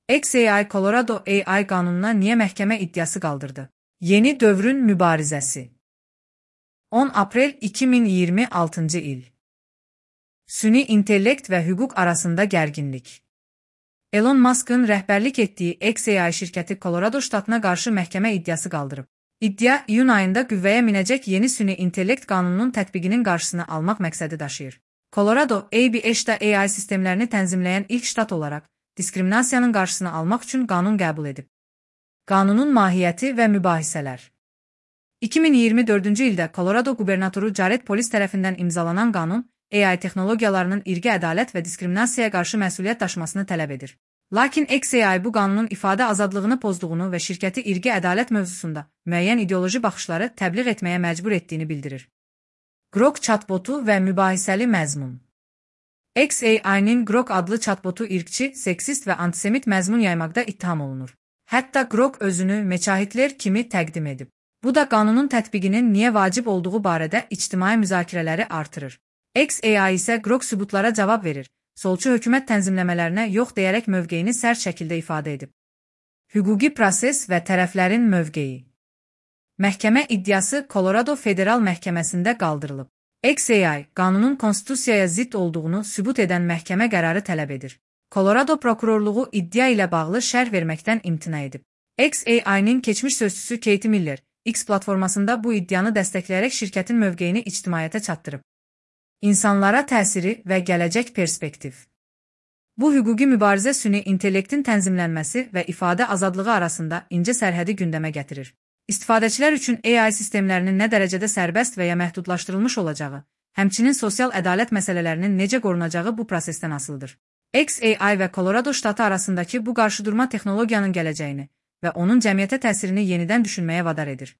XAI Colorado AI qanununa niyə məhkəmə iddiası qaldırdı? Yeni dövrün mübarizəsi. 10 aprel 2026-cı il. Süni intellekt və hüquq arasında gərginlik. Elon Musk'ın rəhbərlik etdiyi XAI şirkəti Colorado ştatına qarşı məhkəmə iddiası qaldırıb. İddia, iyun ayında qüvvəyə minəcək yeni süni intellekt qanununun tətbiqinin qarşısını almaq məqsədi daşıyır. Colorado, AB-da AI sistemlərini tənzimləyən ilk ştat olaraq, diskriminasiyanın qarşısını almaq üçün qanun qəbul edib. Qanunun mahiyyəti və mübahisələr. 2024-cü ildə Colorado qubernatoru Jared Polis tərəfindən imzalanan qanun, AI texnologiyalarının irqi ədalət və diskriminasiyaya qarşı məsuliyyət daşımasını tələb edir. Lakin XAI bu qanunun ifadə azadlığını pozduğunu və şirkəti irqi ədalət mövzusunda müəyyən ideoloji baxışları təbliğ etməyə məcbur etdiyini bildirir. Grok chatbotu və mübahisəli məzmun. XAI-nin Grok adlı chatbotu irqçi, seksist və antisemit məzmun yaymaqda ittiham olunur. Hətta Grok özünü Meçahitler kimi təqdim edib. Bu da qanunun tətbiqinin niyə vacib olduğu barədə ictimai müzakirələri artırır. XAI isə Grok sübutlara cavab verir, solçu hökumət tənzimləmələrinə yox deyərək mövqeyini sərt şəkildə ifadə edib. Hüquqi proses və tərəflərin mövqeyi. Məhkəmə iddiası Colorado Federal Məhkəməsində qaldırılıb. XAI, qanunun konstitusiyaya zidd olduğunu sübut edən məhkəmə qərarı tələb edir. Colorado prokurorluğu iddia ilə bağlı şərh verməkdən imtina edib. XAI-nin keçmiş sözçüsü Katie Miller, X platformasında bu iddianı dəstəkləyərək şirkətin mövqeyini ictimaiyyətə çatdırıb. İnsanlara təsiri və gələcək perspektiv. Bu hüquqi mübarizə süni intellektin tənzimlənməsi və ifadə azadlığı arasında incə sərhədi gündəmə gətirir. İstifadəçilər üçün AI sistemlərinin nə dərəcədə sərbəst və ya məhdudlaşdırılmış olacağı, həmçinin sosial ədalət məsələlərinin necə qorunacağı bu prosesdən asılıdır. XAI və Colorado ştatı arasındakı bu qarşıdurma texnologiyanın gələcəyini və onun cəmiyyətə təsirini yenidən düşünməyə vadar edir.